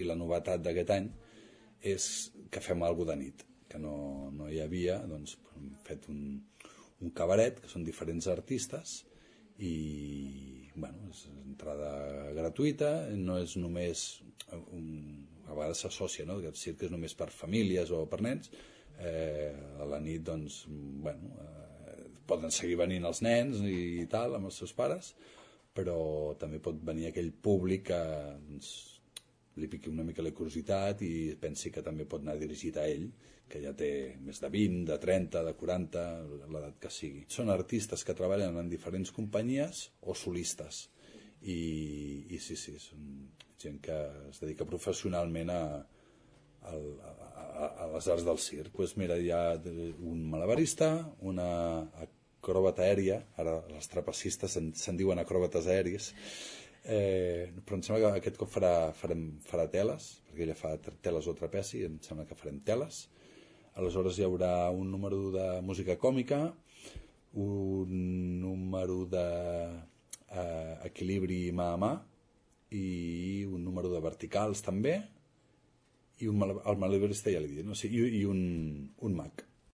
I la novetat d'aquest any és que fem alguna de nit, que no hi havia. Doncs hem fet un cabaret, que són diferents artistes, i bueno, és entrada gratuïta, no és només a vegades s'associa, no?, que el circ és només per famílies o per nens. A la nit doncs bueno, poden seguir venint els nens i tal amb els seus pares, però també pot venir aquell públic que doncs, li piqui una mica la curiositat i pensi que també pot anar dirigit a ell, que ja té més de 20, de 30, de 40, l'edat que sigui. Són artistes que treballen en diferents companyies o solistes. I sí, són gent que es dedica professionalment a les arts del circ. Doncs mira, hi ha un malabarista, una acròbata aèria, ara els trapecistes se'n diuen acròbates aèries, però em sembla que aquest cop farà teles, perquè ella fa teles o trapeci, em sembla que farem teles. Aleshores hi haurà un número de música còmica, un número d'equilibri mà a mà i un número de verticals també, i el malabarista ja l'he dit, no? Sí, i un mag.